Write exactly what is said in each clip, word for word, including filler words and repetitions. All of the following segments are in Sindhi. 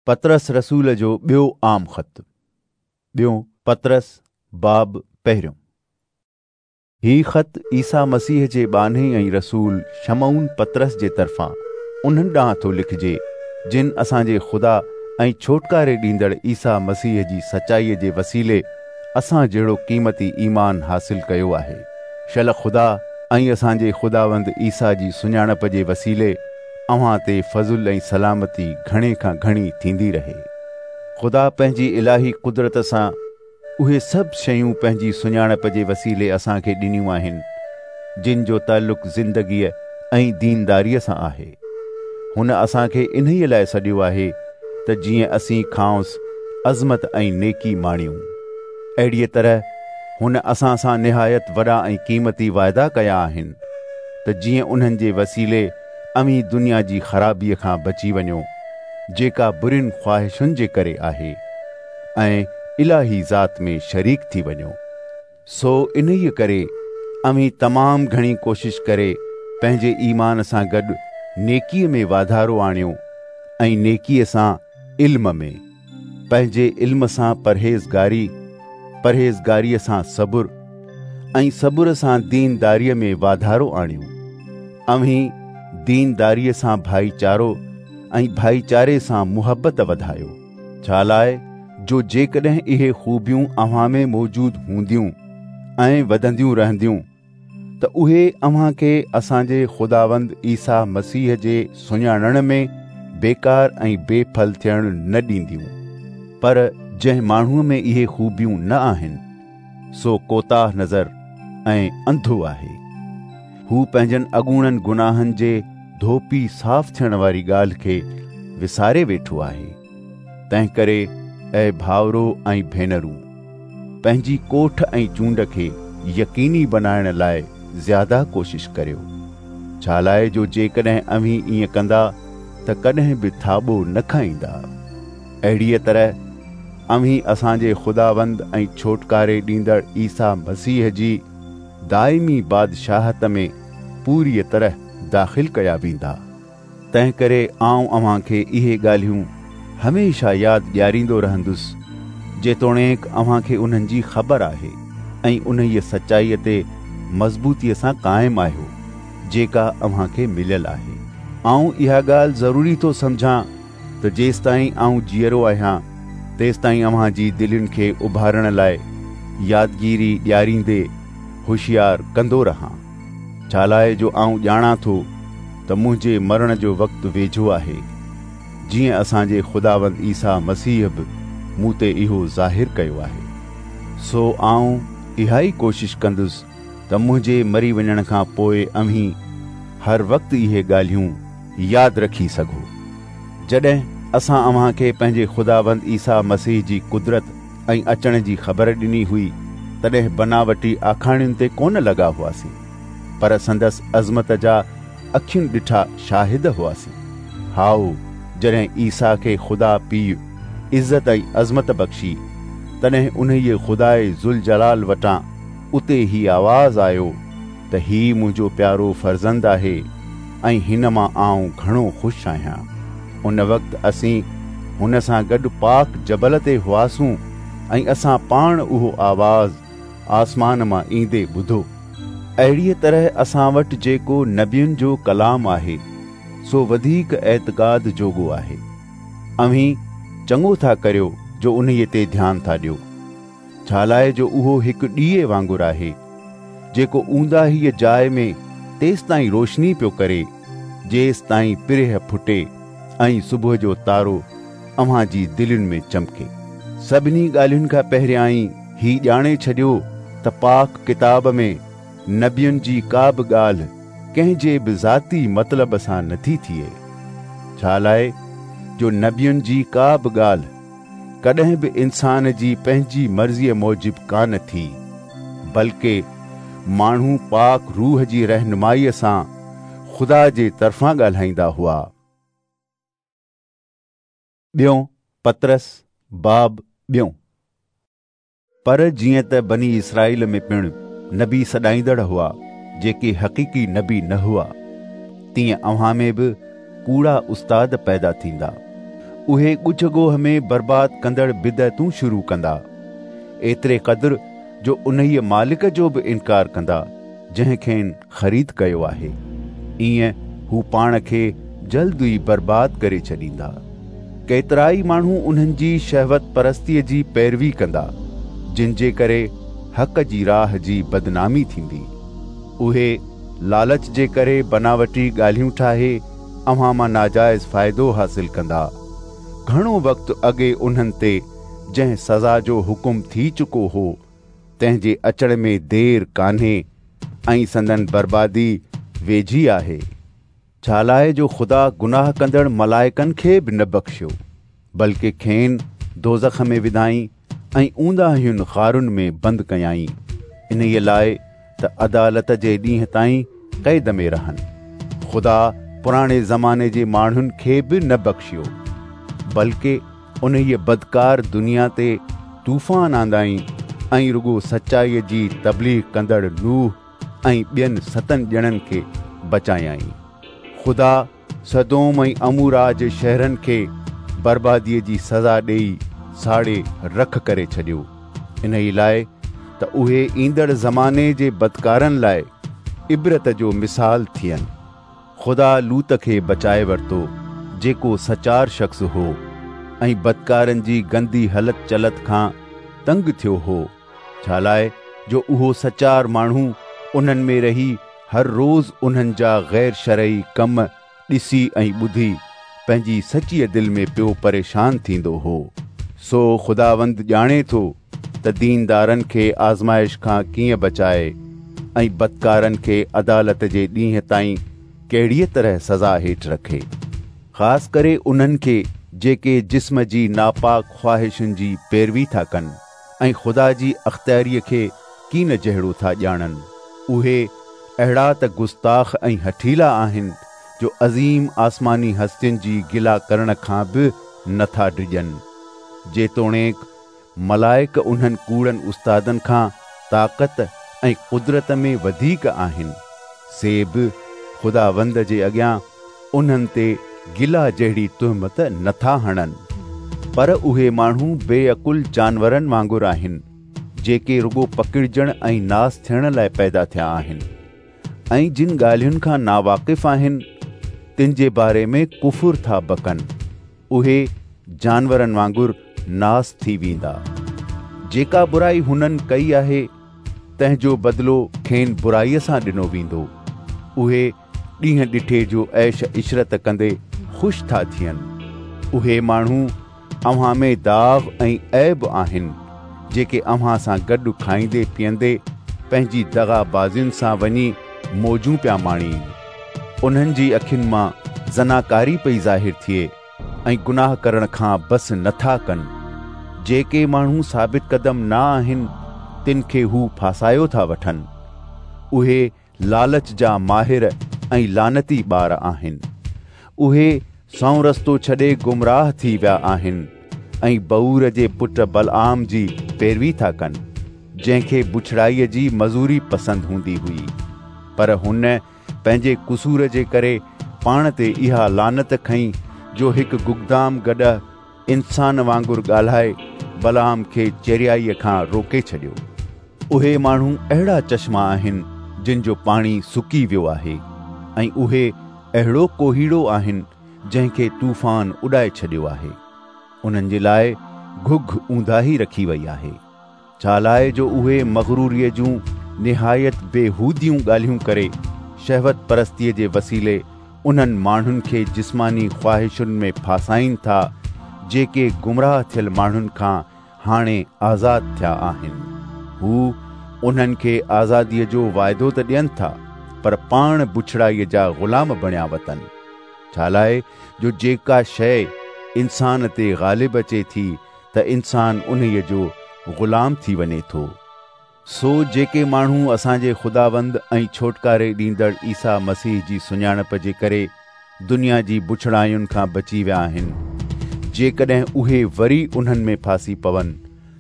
पतरस रसूल जो ॿियो आम ख़त। ॿियो पतरस बाब पहिरियों। ही ख़त ईसा मसीह जे ॿान्हे ऐं रसूल शमऊन पतरस जे तरफ़ां उन्हनि ॾांहुं थो लिखिजे जिन असांजे ख़ुदा ऐं छोटकारे ॾींदड़ ईसा मसीह जी सचाईअ जे वसीले असां जहिड़ो क़ीमती ईमान हासिल कयो आहे। शल ख़ुदा ऐं असांजे ख़ुदावंद ईसा जी सुञाणप जे वसीले अव्हां ते फज़ुल ऐं सलामती घणे खां घणी थींदी रहे। ख़ुदा पंहिंजी इलाही कुदरत सां उहे सभु शयूं पंहिंजी सुञाणप जे वसीले असांखे ॾिनियूं आहिनि जिन जो तालुक ज़िंदगीअ ऐं दीनदारीअ सां आहे। हुन असांखे इन्हीअ लाइ सॾियो आहे त जीअं असीं खांसि अज़मत ऐं नेकी माणियूं। अहिड़ीअ तरह हुन असां सां निहायत वॾा ऐं क़ीमती वाइदा कया आहिनि त जीअं उन्हनि जे वसीले अवीं दुनिया जी ख़राबीअ खां बची वञो जेका बुरियुनि ख़्वाहिशुनि जे करे आहे ऐं इलाही ज़ात में शरीक थी वञो। सो इन्हीअ करे अवीं तमामु घणी कोशिश करे पंहिंजे ईमान सां गॾु नेकीअ में वाधारो आणियो ऐं नेकीअ सां इल्म में, पंहिंजे इल्म सां परहेज़गारी, परहेज़गारीअ सां सबुर ऐं सबुर सां दीनदारीअ में वाधारो आणियो। अवीं दीनदारीअ सां भाईचारो ऐं भाईचारे सां मुहबत वधायो, छा लाइ जो जेकॾहिं इहे ख़ूबियूं अव्हां में मौजूद हूंदियूं ऐं वधंदियूं रहंदियूं त उहे अव्हां खे असांजे ख़ुदावंद ईसा मसीह जे सुञाणण में बेकार ऐं बेफल थियण न ॾींदियूं। पर जंहिं माण्हूअ में इहे ख़ूबियूं न आहिनि सो कोताह नज़र ऐं अंधो आहे। हू पंहिंजनि अॻूणनि गुनाहनि जे धोपी साफ़ थियण वारी ॻाल्हि खे विसारे वेठो आहे। तंहिं करे ऐ भाउरो ऐं भेनरूं, पंहिंजी कोठ ऐं चूंड खे यकीनी बनाइण लाइ ज़्यादा कोशिश करियो, छा लाइ जो जेकॾहिं अव्हीं ईअं कंदा त कॾहिं बि थाॿो न खाईंदा। अहिड़ीअ तरह अव्हीं असांजे ख़ुदावंद ऐं छोटकारे ॾींदड़ ईसा मसीह जी दाइमी बादशाहत में पूरीअ तरह दाख़िल कया वेंदा। तंहिं करे आउं अव्हां खे इहे ॻाल्हियूं हमेशह यादि ॾियारींदो रहंदुसि, जेतोणीकि अव्हां खे उन्हनि जी ख़बर आहे ऐं उन्हीअ सचाईअ ते मज़बूतीअ सां क़ाइमु आहियो जेका अव्हां खे मिलियल आहे। आउं इहा ॻाल्हि ज़रूरी थो सम्झां त जेसिताईं आउं जीअरो आहियां तेसिताईं अव्हां जी दिलयुनि खे उभारण लाइ यादगिरी ॾियारींदे होशियार कंदो रहां, छा लाइ जो आउं ॼाणां थो त मुंहिंजे मरण जो वक़्तु वेझो आहे, जीअं असांजे ख़ुदावंद ईसा मसीह बि मूं ते इहो ज़ाहिर कयो आहे। सो आउं इहा ई कोशिश कंदुसि त मुंहिंजे मरी वञण खां पोइ अव्हीं हर वक़्तु इहे ॻाल्हियूं यादि रखी सघो। जॾहिं असां अव्हां खे पंहिंजे ख़ुदावंद ईसा मसीह जी कुदरत ऐं अचण जी ख़बर ॾिनी हुई तॾहिं बनावटी आखाणियुनि ते कोन लॻा हुआसीं, पर संदसि अज़मत जा अखियुनि ॾिठा शाहिद हुआसीं। हाओ, जॾहिं ईसा खे ख़ुदा पीउ इज़त ऐं अज़मत बख़्शी तॾहिं उन्हीअ ख़ुदाए ज़ुलजलाल वटां उते ही आवाज़ आयो त ही मुंहिंजो प्यारो फर्ज़ंद आहे ऐं हिन मां आउं घणो ख़ुशि आहियां। उन वक़्तु असीं हुन सां गॾु पाक जबल ते हुआसूं ऐं असां पाण उहो आवाज़ आसमान मां ईंदे ॿुधो। अहिड़ीअ तरह असां वटि जेको नबियुनि जो कलाम आहे सो वधीक एतिकाद जोॻो आहे। अव्हीं चङो था करियो जो उन्हीअ ते ध्यानु था ॾियो, छा लाइ जो उहो हिकु ॾीए वांगुरु आहे जेको ऊंदाहीअ जाइ में तेसिताईं रोशनी पियो करे जेसिताईं पिरेह फुटे ऐं सुबुह जो तारो अव्हां जी दिलयुनि में चमके। सभिनी ॻाल्हियुनि खां पहिरियां ही ॼाणे छॾियो त पाक किताब में नबियुनि जी का बि ॻाल्हि कंहिंजे बि ज़ाती मतिलब सां नथी थिए, छा लाइ जो नबियुनि जी का बि ॻाल्हि कॾहिं बि इंसान जी पंहिंजी मर्ज़ीअ मूजिबि कान थी, बल्कि माण्हू पाक रूह जी रहनुमाईअ सां ख़ुदा जे तरफ़ां ॻाल्हाईंदा हुआ। ॿियो पतरस बाब ॿियो। पर जीअं त बनी इसराईल में पिणु नबी सॾाईंदड़ हुआ जेके हक़ीक़ी नबी न हुआ, तीअं अव्हां में बि कूड़ा उस्ताद पैदा थींदा। اهي ڳجهه ڳوهه ۾ برباد ڪندڙ بدعتون شروع ڪندا، ايتري قدر جو انهيء مالڪ جو به انڪار ڪندا جنهن کين خريد ڪيو آهي. ائين هو پاڻ کي جلد ئي برباد ڪري ڇڏيندا. ڪيترائي ماڻهو انهن جي شهوت پرستيء جي پيروي ڪندا، جن جي ڪري حق جي راهه جي بدنامي ٿيندي. اهي لالچ جي ڪري بناوٽي ڳالهيون ٺاهي اوهان مان ناجائز فائدو حاصل ڪندا. گهڻو وقت اڳي انهن تي جنهن سزا جو حڪم ٿي چڪو هو، تنهن جي اچڻ ۾ دير ڪانهي ۽ سندن بربادي ويجهي آهي. ڇا لاءِ جو خدا گناهه ڪندڙ ملائڪن کي به نه بخشيو، بلڪه کين دوزخ ۾ وڌائين ۽ اونداهين غارن ۾ بند ڪيائين، انهيءَ لاءِ ته عدالت جي ڏينهن تائين قيد ۾ رهن. خدا پراڻي زماني جي ماڻهن کي به نه بخشيو، بلڪه انهيءَ بدڪار دنيا تي طوفان آندائين ۽ رڳو سچائيءَ جي تبليغ ڪندڙ نوح ۽ ٻين ستن ڄڻن کي بچايائين. خدا سدوم ۽ عمورا جي شهرن کي برباديءَ جي سزا ڏيئي ساڙي رک ڪري ڇڏيو، انهيءَ لاءِ ته اهي ايندڙ زماني جي بدڪارن لاءِ عبرت جو مثال ٿين. خدا لوط کي بچائي ورتو، جيڪو سچار شخص هو ۽ بدڪارن جي گندي هلت چلت کان تنگ ٿيو هو، ڇا لاءِ جو اهو سچار ماڻهو انهن ۾ رهي هر روز انهن جا غير شرعي ڪم ڏسي ۽ ٻڌي پنهنجي سچيءَ دل ۾ پيو پريشان ٿيندو هو. سو خداوند ڄاڻي ٿو ته ديندارن کي آزمائش کان ڪيئن بچائي ۽ بدڪارن کي عدالت جي ڏينهن تائين ڪهڙيءَ طرح سزا هيٺ رکي، خاص ڪري انهن کي جيڪي جسم جي ناپاڪ خواهشن جي پيروي ٿا ڪن ۽ خدا جي اختياريءَ کي ڪين جهڙو ٿا ڄاڻن. اهي اهڙا ته گستاخ ۽ هٺيلا آهن جو عظيم آسماني هستين جي گلا ڪرڻ کان به نٿا ڊڄن. جيتوڻيڪ ملائڪ انهن ڪوڙن استادن کان طاقت ۽ قدرت ۾ وڌيڪ آهن، سي به خداوند جي اڳيان انهن تي گلا جهڙي تهمت نٿا هڻن. پر اهي ماڻهو بي عقل جانورن وانگر آهن، جيڪي رڳو پڪڙجڻ ۽ ناس ٿيڻ لاءِ پيدا ٿيا آهن ۽ جن ڳالهين کان ناواقف آهن تن جي باري ۾ ڪفر ٿا بڪن. اهي جانورن وانگر ناس ٿي ويندا. جيڪا برائي هنن ڪئي آهي تنهن جو بدلو کين برائيءَ سان ڏنو ويندو. اهي ڏينهن ڏٺي جو عيش عشرت ڪندي خوش ٿا ٿين. اهي ماڻهو اوهان ۾ داغ ۽ عيب آهن، جيڪي اوهان سان گڏ کائيندي پيئندي پنهنجي دغابازين سان وڃي موجون پيا ماڻين. انهن جي اکين مان زناڪاري پئي ظاهر ٿئي ۽ گناهه ڪرڻ کان بس نٿا ڪن. جيڪي ماڻهو ثابت قدم نه آهن تن کي هو ڦاسايو ٿا وٺن. اهي لالچ جا ماهر ۽ لعنتي ٻار آهن. اهي سنئون رستو ڇڏي گمراهه ٿي ويا آهن ۽ بعور جي پٽ بلعام جي پيروي ٿا ڪن، جنهن کي بڇڙائيءَ جي مزوري پسند هوندي هئي. پر هن پنهنجي قصور جي ڪري پاڻ تي اها لعنت کنئي جو هڪ گگدام گڏهه انسان وانگر ڳالهائي بلعام کي چريائيءَ کان روڪي ڇڏيو. اهي ماڻهو اهڙا چشما آهن جن جو پاڻي سڪي ويو آهي ۽ اهي اهڙو ڪوهيڙو آهن جنهن کي طوفان اڏائي ڇڏيو آهي. انهن جي لاءِ گهگهه اونداهي رکي وئي آهي، ڇا لاءِ جو اهي مغروريءَ جون نهايت بيهوديون ڳالهيون ڪري شهوت پرستيءَ جي وسيلي انهن ماڻهن کي جسماني خواهشن ۾ ڦاسائين ٿا، جيڪي گمراهه ٿيل ماڻهن کان هاڻي آزاد ٿيا آهن. هو انهن کي آزاديءَ جو واعدو ته ڏين ٿا، پر پاڻ بڇڙائيءَ جا غلام بڻيا وتن. ڇا لاءِ جو جيڪا شيءِ انسان تي غالب اچي ٿي ته انسان انهيءَ جو غلام ٿي وڃي ٿو. سو جيڪي ماڻهو اسان جي خداوند ۽ ڇوٽڪاري ڏيندڙ عيسيٰ مسيح جي سڃاڻپ جي ڪري دنيا جي بڇڙاين کان بچي ويا آهن، جيڪڏهن اهي وري انهن ۾ ڦاسي پون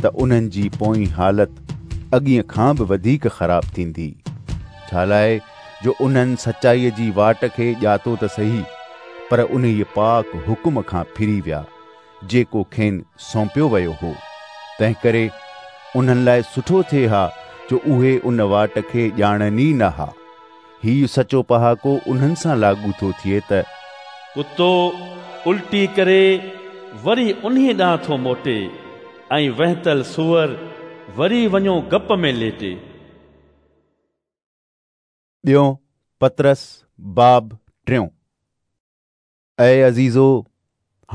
ته انهن جي پوئين حالت اڳئين کان به وڌيڪ خراب ٿيندي. ڇا لاءِ جو انهن سچائيءَ جي واٽ کي ڄاتو ته صحيح، پر انهيءَ پاڪ حڪم کان ڦري ويا جيڪو کين سونپيو ويو هو. تنهنڪري انهن لاء سٺو ٿئي ها جو اهي ان واٽ کي ڄاڻن ئي نه ها. هيءُ سچو پهاڪو انهن سان لاڳو ٿو ٿئي ته ڪتو الٽي ڪري وري انهيءَ ڏانهن ٿو موٽي ۽ وهنتل سوئر وري وڃو گپ ۾ ليٽي. ٻيون پطرس باب ٽيون. اي عزيزو،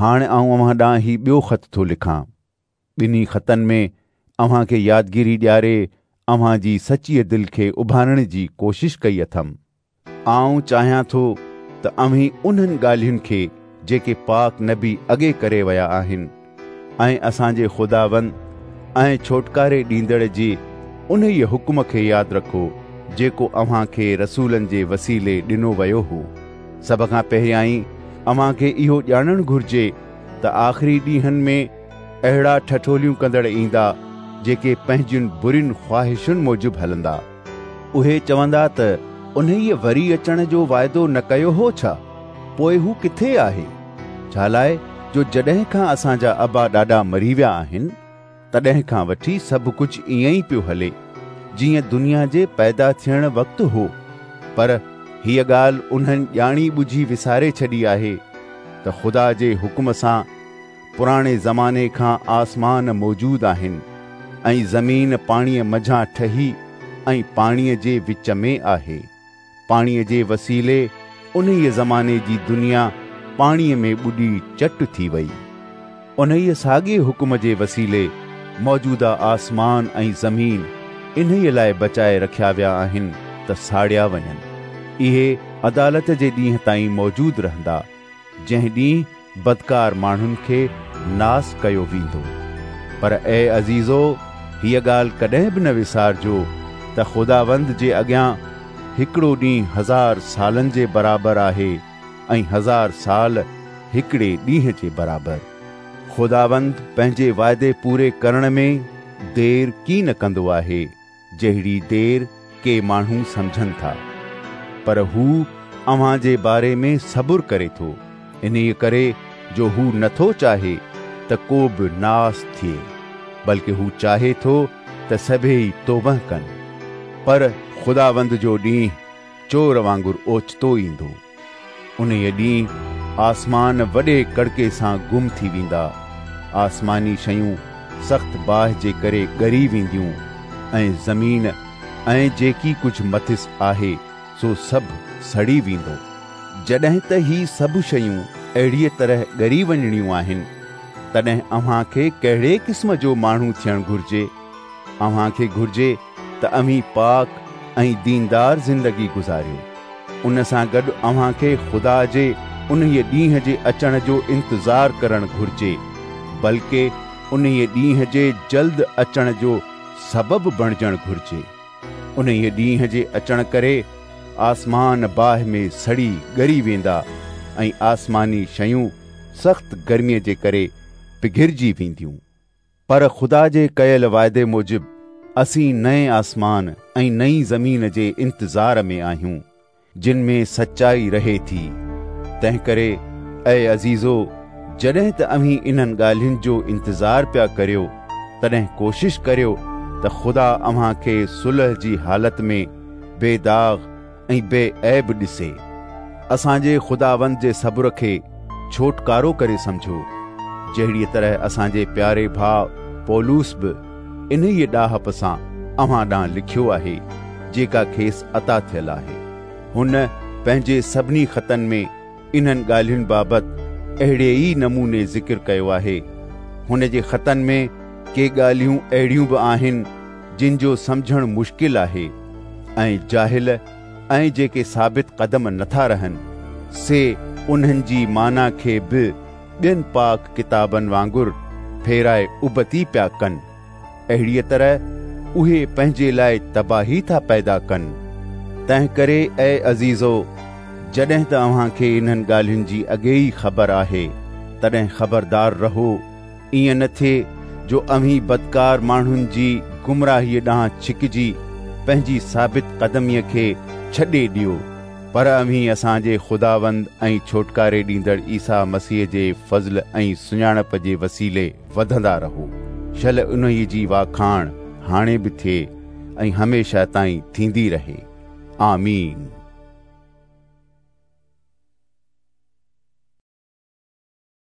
هاڻي آئون اوهان ڏانهن هي ٻيو خط ٿو لکان. ٻنهي خطن ۾ اوهان کي يادگيري ڏياري اوهان جي سچيءَ دل کي اڀارڻ جي ڪوشش ڪئي اٿم. آئون چاهيان ٿو ته اوهين انهن ڳالهين کي جيڪي پاڪ نبي اڳي ڪري ويا آهن ۽ اسان جي خداوند ۽ ڇوٽڪاري ڏيندڙ جي انهيءَ حڪم کي ياد رکو جيڪو اوهان کي رسولن جي وسيلي ڏنو ويو هو. سڀ کان پهريائين اوهان کي اهو ڄاڻڻ گهرجي ته آخري ڏينهن ۾ اهڙا ٺٺوليون ڪندڙ ايندا جيڪي پنهنجين برين خواهشن موجب هلندا. اهي چوندا ته انهيءَ وري اچڻ جو واعدو نه ڪيو هو ڇا؟ پوءِ هو ڪٿي آهي؟ ڇا لاءِ جو جڏهن کان اسان جا ابا ڏاڏا مري ويا آهن تڏهن کان وٺي سڀ ڪجهه ائين ئي پيو هلي جيئن دنيا جي پيدا ٿيڻ وقت هو. پر هيءَ ڳالهه انهن ڄاڻي ٻجهي وساري ڇڏي آهي ته خدا جي حڪم سان پراڻي زماني کان آسمان موجود آهن ۽ زمين پاڻيءَ منجهان ٺهي ۽ پاڻيءَ جي وچ ۾ آهي. پاڻيءَ جي وسيلي انهيءَ زماني جي دنيا پاڻيءَ ۾ ٻڏي چٽ ٿي وئي. انهيءَ ساڳئي حڪم جي وسيلي موجوده آسمان ۽ زمين انهيءَ لاءِ بچائي رکيا ويا آهن ته ساڙيا وڃن. اهي عدالت جي ڏينهن تائين موجود رهندا، جنهن ڏينهن بدڪار ماڻهن کي ناس ڪيو ويندو. پر اي عزيزو، هيءَ ڳالهه ڪڏهن به نه وسارجو ته خداوند جي اڳيان هڪڙو ڏينهن هزار سالن جي برابر آهي ۽ هزار سال هڪڙي ڏينهن جي برابر. خداوند پنهنجي واعدي پوري ڪرڻ ۾ دير ڪين ڪندو آهي، جهڙي دير ڪي ماڻهو سمجهن ٿا. پر هو اوهان جي باري ۾ صبر ڪري ٿو، انهيءَ ڪري جو هو نٿو چاهي ته ڪو به ناس ٿئي، بلڪه هو چاهي ٿو ته سڀئي توبه ڪن. پر خداوند جو ڏينهن چور وانگر اوچتو ايندو. انهيءَ ڏينهن آسمان وڏي ڪڙڪي سان گم ٿي ويندا، آسماني شيون سخت باهه جي ڪري ڳري وينديون ۽ زمين ۽ جيڪي ڪجهه مٿس آهي سو سڀ سڙي ويندو. جڏهن ته هي سڀ شيون اهڙيءَ طرح ڳري وڃڻيون آهن، تڏهن اوهان کي ڪهڙي قسم جو ماڻهو ٿيڻ گهرجي؟ اوهان کي گهرجي ته اوهين پاڪ ۽ ديندار زندگي گذاريو. ان سان گڏ اوهان کي خدا جي انهيءَ ڏينهن جي اچڻ جو انتظار ڪرڻ گهرجي، بلڪه انهيءَ ڏينهن جي جلد اچڻ جو سبب بڻجڻ گهرجي. انهيءَ ڏينهن جي اچڻ ڪري آسمان باهه ۾ سڙي ڳري ويندا ۽ آسماني شيون سخت گرميءَ جي ڪري پگهرجي وينديون. پر خدا جي ڪيل واعدي موجب اسين نئين آسمان ۽ نئين زمين جي انتظار ۾ آهيون، جن ۾ سچائي رهي ٿي. تنهنڪري اي عزيزو، جڏهن ته اوهين انهن ڳالهين جو انتظار پيا ڪريو، تڏهن ڪوشش ڪريو ته خدا اوهان کي صلح جي حالت ۾ بي داغ ۽ بي عيب ڏسي. اسان جي خداوند جي صبر کي ڇوٽڪارو ڪري سمجهو، جهڙيءَ طرح اسان جي پياري ڀاءُ پولس به انهيءَ ڏاهپ سان اوهان ڏانهن لکيو آهي، جيڪا کيس عطا ٿيل آهي. هن پنهنجي سڀني خطن ۾ انهن ڳالهين بابت اهڙي ئي نموني ذڪر ڪيو آهي. هن جي خطن ۾ ڪي ڳالهيون اهڙيون به آهن جن جو سمجهڻ مشڪل آهي ۽ جاهل ۽ جيڪي ثابت قدم نٿا رهن، سي انهن جي معنيٰ کي به ٻين پاڪ ڪتابن وانگر ڦيرائي ابتي پيا ڪن. اهڙيءَ طرح اهي پنهنجي لاءِ تباهي ٿا پيدا ڪن. تنهنڪري اي عزيزو، جڏهن ته اوهان کي انهن ڳالهين جي اڳي ئي خبر آهي، تڏهن خبردار رهو، ائين نه ٿئي جو اوهين بدڪار ماڻهن جي گمراهيءَ ڏانهن ڇڪجي پنهنجي ثابت قدميءَ کي ڇڏي ڏيو. پر اوهين اسان جي خداوند ۽ ڇوٽڪاري ڏيندڙ عيسيٰ مسيح جي فضل ۽ سڃاڻپ جي وسيلي وڌندا رهو. شل انهيء جي واکاڻ هاڻي به ٿئي ۽ هميشه تائين ٿيندي رهي. آمين.